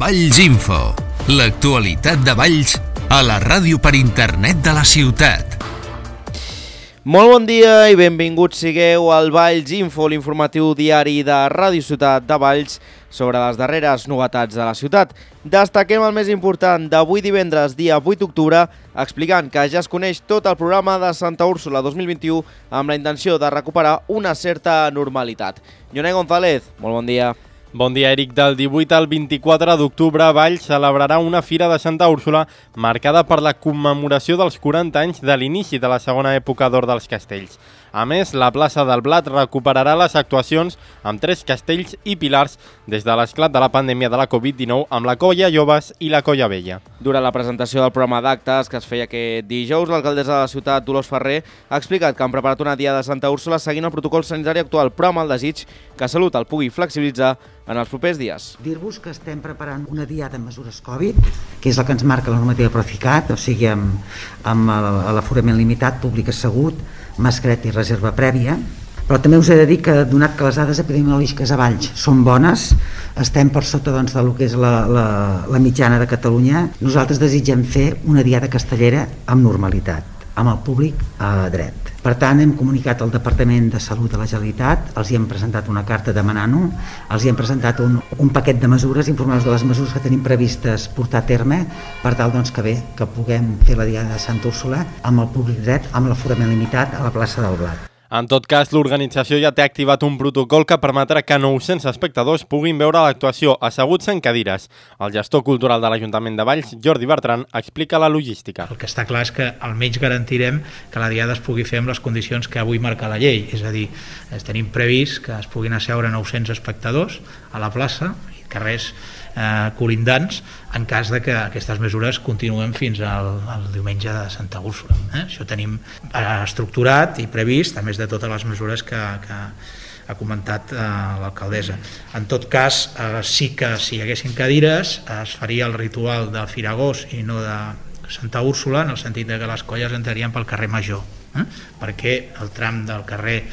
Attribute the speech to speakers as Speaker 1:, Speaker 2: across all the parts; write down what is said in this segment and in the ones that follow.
Speaker 1: Valls Info, l'actualitat de Valls a la ràdio per internet de la ciutat.
Speaker 2: Molt bon dia i benvinguts sigueu al Valls Info, l'informatiu diari de Ràdio Ciutat de Valls sobre les darreres novetats de la ciutat. Destaquem el més important d'avui divendres, dia 8 d'octubre, explicant que ja es coneix tot el programa de Santa Úrsula 2021 amb la intenció de recuperar una certa normalitat. Jonai González, molt bon dia.
Speaker 3: Bon dia, Eric. Del 18 al 24 d'octubre, Valls celebrarà una fira de Santa Úrsula marcada per la commemoració dels 40 anys de l'inici de la segona època d'or dels castells. A més, la plaça del Blat recuperarà les actuacions amb 3 castells i pilars des de l'esclat de la pandèmia de la Covid-19 amb la Colla Joves i la Colla Vella.
Speaker 2: Durant la presentació del programa d'actes que es feia aquest dijous, l'alcaldessa de la ciutat, Dolors Ferrer, ha explicat que han preparat una diada de Santa Úrsula seguint el protocol sanitari actual, però amb el desig que Salut el pugui flexibilitzar en els propers dies.
Speaker 4: Dir-vos que estem preparant una diada amb mesures Covid, que és la que ens marca la normativa Procicat, o sigui amb l'aforament limitat, públic assegut, mascareta i reserva prèvia, però també us he de dir que, donat que les dades epidemiològiques a Valls són bones, estem per sota del que és la mitjana de Catalunya, nosaltres desitgem fer una diada castellera amb normalitat, amb el públic dret. Per tant, hem comunicat al Departament de Salut de la Generalitat, els hi hem presentat una carta demanant-ho, els hi hem presentat un paquet de mesures, informant-los de les mesures que tenim previstes portar a terme, per tal que puguem fer la diada de Santa Úrsula amb el públic dret, amb l'aforament limitat a la plaça del Blat.
Speaker 3: En tot cas, l'organització ja té activat un protocol que permetrà que 900 espectadors puguin veure l'actuació asseguts en cadires. El gestor cultural de l'Ajuntament de Valls, Jordi Bertran, explica la logística.
Speaker 5: El que està clar és que almenys garantirem que la diada es pugui fer amb les condicions que avui marca la llei, és a dir, tenim previst que es puguin asseure 900 espectadors a la plaça i carrers colindants en cas de que aquestes mesures continuen fins al diumenge de Santa Úrsula. Això tenim estructurat i previst, a més de totes les mesures que ha comentat l'alcaldessa. En tot cas, sí que si hi haguessin cadires es faria el ritual del Firagós i no de Santa Úrsula, en el sentit de que les colles entrarien pel carrer Major, perquè el tram del carrer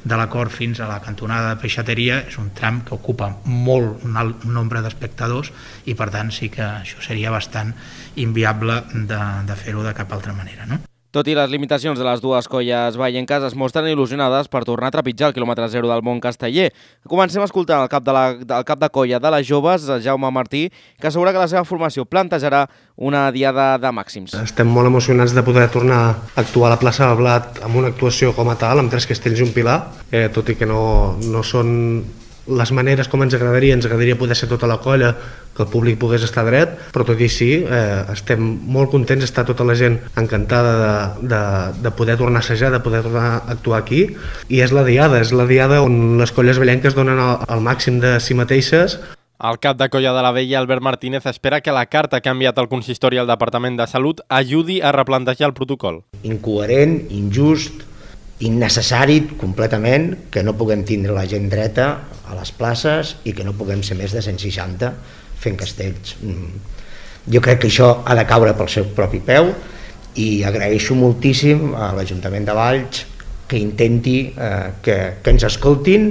Speaker 5: de l'Acord fins a la cantonada de Peixateria és un tram que ocupa un alt nombre d'espectadors i per tant sí que això seria bastant inviable de fer-ho de cap altra manera, no?
Speaker 2: Tot i les limitacions de les dues colles vallenques, es mostren il·lusionades per tornar a trepitjar el quilòmetre zero del món casteller. Comencem escoltant el cap de colla de les joves, Jaume Martí, que assegura que la seva formació plantejarà una diada de màxims.
Speaker 6: Estem molt emocionats de poder tornar a actuar a la plaça del Blat amb una actuació com a tal, amb 3 castells i un pilar, tot i que no són les maneres com ens agradaria poder ser tota la colla, que el públic pogués estar dret, però tot i així estem molt contents d'estar tota la gent encantada de poder tornar a assajar, de poder tornar a actuar aquí, i és la diada on les colles vallenques donen el màxim de si mateixes.
Speaker 3: El cap de colla de la Vella, Albert Martínez, espera que la carta que ha enviat el consistori al Departament de Salut ajudi a replantejar el protocol.
Speaker 7: Incoherent, injust, innecessari completament que no puguem tindre la gent dreta a les places i que no puguem ser més de 160 fent castells. Jo crec que això ha de caure pel seu propi peu i agraeixo moltíssim a l'Ajuntament de Valls que intenti que ens escoltin.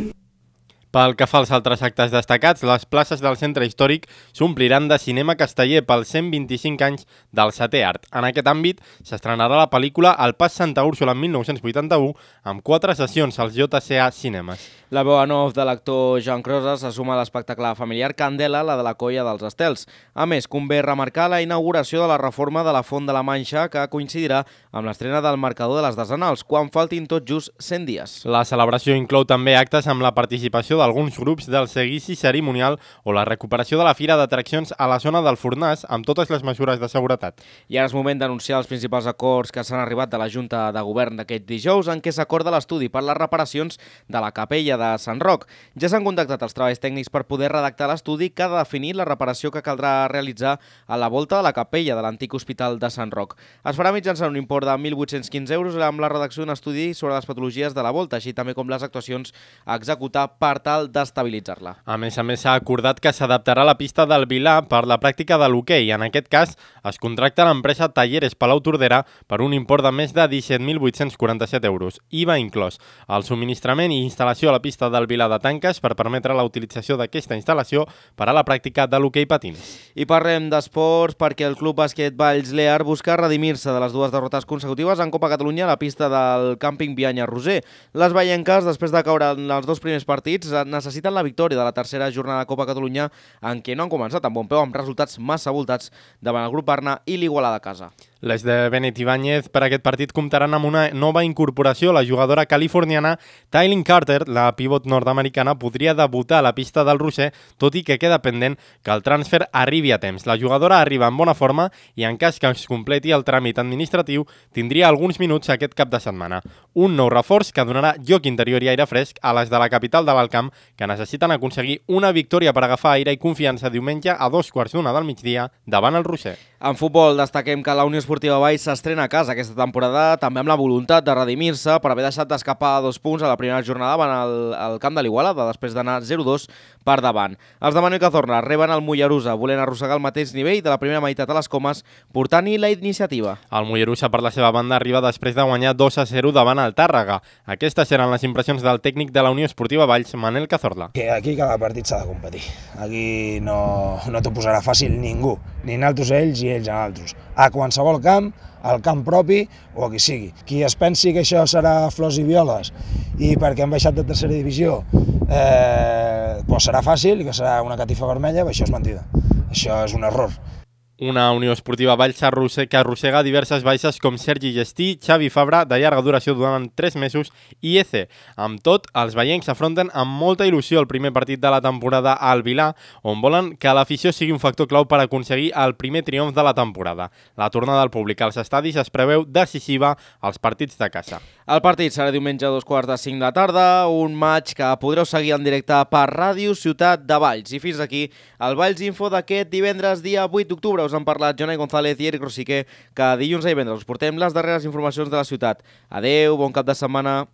Speaker 3: Pel que fa als altres actes destacats, les places del centre històric s'ompliran de cinema casteller pels 125 anys del Setè Art. En aquest àmbit s'estrenarà la pel·lícula El Pas Santa Úrsula en 1981 amb 4 sessions als JCA Cinemes.
Speaker 2: La veu en off de l'actor Joan Crosas se suma a l'espectacle familiar Candela, la de la colla dels Estels. A més, convé remarcar la inauguració de la reforma de la Font de la Manxa, que coincidirà amb l'estrena del marcador de les decenals, quan faltin tot just 100 dies.
Speaker 3: La celebració inclou també actes amb la participació d'alguns grups del seguici cerimonial o la recuperació de la fira d'atraccions a la zona del Fornàs amb totes les mesures de seguretat.
Speaker 2: I ara és moment d'anunciar els principals acords que s'han arribat de la Junta de Govern d'aquest dijous, en què s'acorda l'estudi per les reparacions de la capella de Sant Roc. Ja s'han contactat els treballs tècnics per poder redactar l'estudi que ha de definir la reparació que caldrà realitzar a la volta de la capella de l'antic hospital de Sant Roc. Es farà mitjançant un import de 1.815 euros amb la redacció d'un estudi sobre les patologies de la volta, així també com les actuacions a executar per tal d'estabilitzar-la.
Speaker 3: A més, s'ha acordat que s'adaptarà la pista del Vilar per la pràctica de l'hoquei. En aquest cas, es contracta l'empresa Talleres Palau Tordera per un import de més de 17.847 euros, IVA inclòs. El subministrament i instal·lació a la pista del Vilar de Tanques per permetre la utilització d'aquesta instal·lació per a la pràctica de l'hoquei patins.
Speaker 2: I parlem d'esports perquè el Club Bàsquet Valls Lear busca redimir-se de les 2 derrotes consecutives en Copa Catalunya a la pista del càmping Bianya-Roser. Les vallenques, després de caure en els 2 primers partits, necessiten la victòria de la tercera jornada de Copa Catalunya en què no han començat amb bon peu, amb resultats massa voltats davant el Grup Barna i l'Igualada a casa.
Speaker 3: Les de Benet Ibáñez per aquest partit comptaran amb una nova incorporació. La jugadora californiana Tylin Carter, la pivot nord-americana, podria debutar a la pista del Roser, tot i que queda pendent que el transfer arribi a temps. La jugadora arriba en bona forma i en cas que es completi el tràmit administratiu tindria alguns minuts aquest cap de setmana. Un nou reforç que donarà joc interior i aire fresc a les de la capital de l'Alt Camp, que necessiten aconseguir una victòria per agafar aire i confiança diumenge a 2:15 del migdia davant el Roser.
Speaker 2: En futbol destaquem que la Unió Esportiva Valls s'estrena a casa aquesta temporada també amb la voluntat de redimir-se per haver deixat d'escapar 2 punts a la primera jornada davant el camp de l'Igualada després d'anar 0-2 per davant. Els de Manuel Cazorla reben el Mollerussa volent arrossegar el mateix nivell de la primera meitat a les Comes, portant-hi la iniciativa.
Speaker 3: El Mollerussa per la seva banda arriba després de guanyar 2-0 davant el Tàrrega. Aquestes eren les impressions del tècnic de la Unió Esportiva Valls, Manel Cazorla.
Speaker 8: Que aquí cada partit s'ha de competir. Aquí no t'ho posarà fàcil ningú, ni naltros ells i ells a naltros. A qualsevol camp, al camp propi o a qui sigui. Qui es pensi que això serà flors i violes i perquè han baixat de tercera divisió doncs serà fàcil i que serà una catifa vermella, això és mentida. Això és un error.
Speaker 3: Una Unió Esportiva Valls que arrossega diverses baixes com Sergi Gestí, Xavi Fabra, de llarga duració durant 3 mesos, i Eze. Amb tot, els veiencs s'afronten amb molta il·lusió el primer partit de la temporada al Vilà, on volen que l'afició sigui un factor clau per aconseguir el primer triomf de la temporada. La tornada del públic als estadis es preveu decisiva als partits de casa.
Speaker 2: El partit serà diumenge a 2:45 de la tarda, un maig que podreu seguir en directe per Ràdio Ciutat de Valls. I fins aquí el Valls Info d'aquest divendres, dia 8 d'octubre. Us han parlat Jonai González i Eric Rosiquer, que dilluns i divendres us portem les darreres informacions de la ciutat. Adeu, bon cap de setmana.